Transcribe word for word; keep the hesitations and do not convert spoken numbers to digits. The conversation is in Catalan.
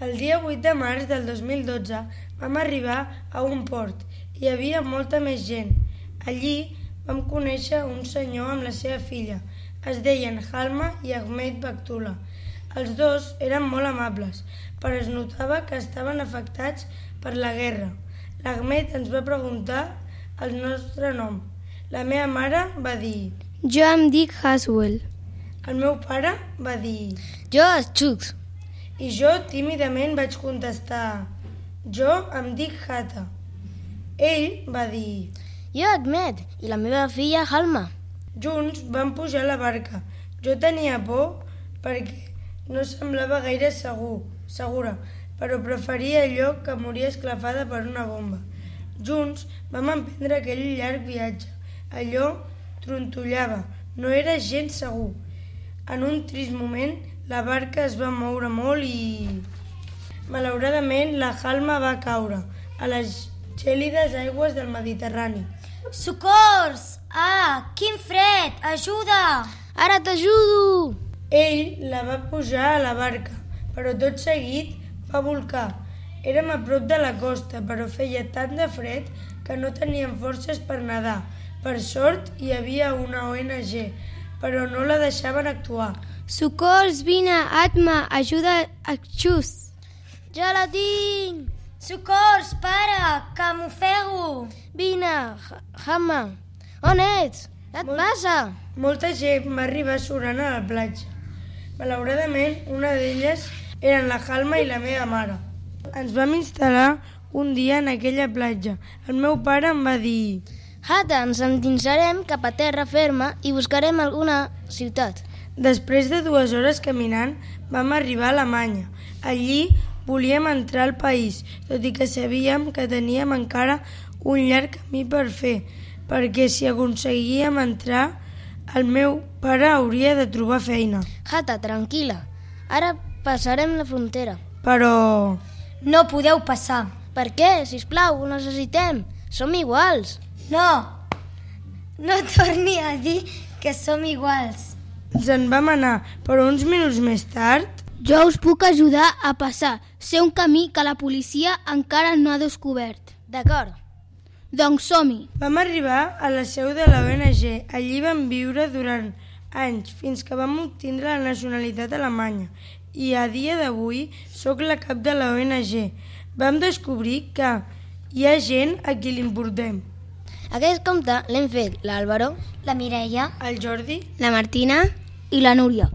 El dia vuit de març del dos mil dotze vam arribar a un port. Hi havia molta més gent. Allí vam conèixer un senyor amb la seva filla. Es deien Halma i Ahmed Baktula. Els dos eren molt amables, però es notava que estaven afectats per la guerra. L'Ahmed ens va preguntar el nostre nom. La meva mare va dir... Jo em dic Haswell. El meu pare va dir... Jo Chuck. I jo tímidament vaig contestar... Jo em dic Hata. Ell va dir... Jo Ahmed i la meva filla Halma. Junts vam pujar a la barca. Jo tenia por perquè no semblava gaire segur, segura, però preferia allò que morir esclafada per una bomba. Junts vam emprendre aquell llarg viatge. Allò trontollava, no era gens segur. En un trist moment, la barca es va moure molt i... Malauradament, la Halma va caure a les gèlides aigües del Mediterrani. Socors! Ah, quin fred! Ajuda! Ara t'ajudo! Ell la va pujar a la barca, però tot seguit va volcar. Érem a prop de la costa, però feia tant de fred que no teníem forces per nedar. Per sort, hi havia una O N G, però no la deixaven actuar. Socors, vine, Atma, ajuda a Xus. Ja la tinc! Socors, para, que m'ofego! Vine, Hama. On ets? Què et Molt... passa? Molta gent va arribar surant a la platja. Malauradament, una d'elles eren la Halma i la meva mare. Ens vam instal·lar un dia en aquella platja. El meu pare em va dir... Hata, ens endinsarem cap a terra ferma i buscarem alguna ciutat. Després de dues hores caminant, vam arribar a Alemanya. Allí volíem entrar al país, tot i que sabíem que teníem encara un llarg camí per fer, perquè si aconseguíem entrar, el meu pare hauria de trobar feina. Hata, tranquil·la. Ara passarem la frontera. Però... No podeu passar. Per què? Sisplau, ho necessitem. Som iguals. No, no torni a dir que som iguals. Ens en vam anar, però uns minuts més tard... Jo us puc ajudar a passar. Sé un camí que la policia encara no ha descobert. D'acord. Doncs som-hi. Vam arribar a la seu de la O N G. Allí vam viure durant anys, fins que vam obtindre la nacionalitat alemanya. I a dia d'avui sóc la cap de la O N G. Vam descobrir que hi ha gent a qui l'importem. Aquest compte l'hem fet l'Àlvaro, La Mireia, El Jordi, La Martina i la Núria.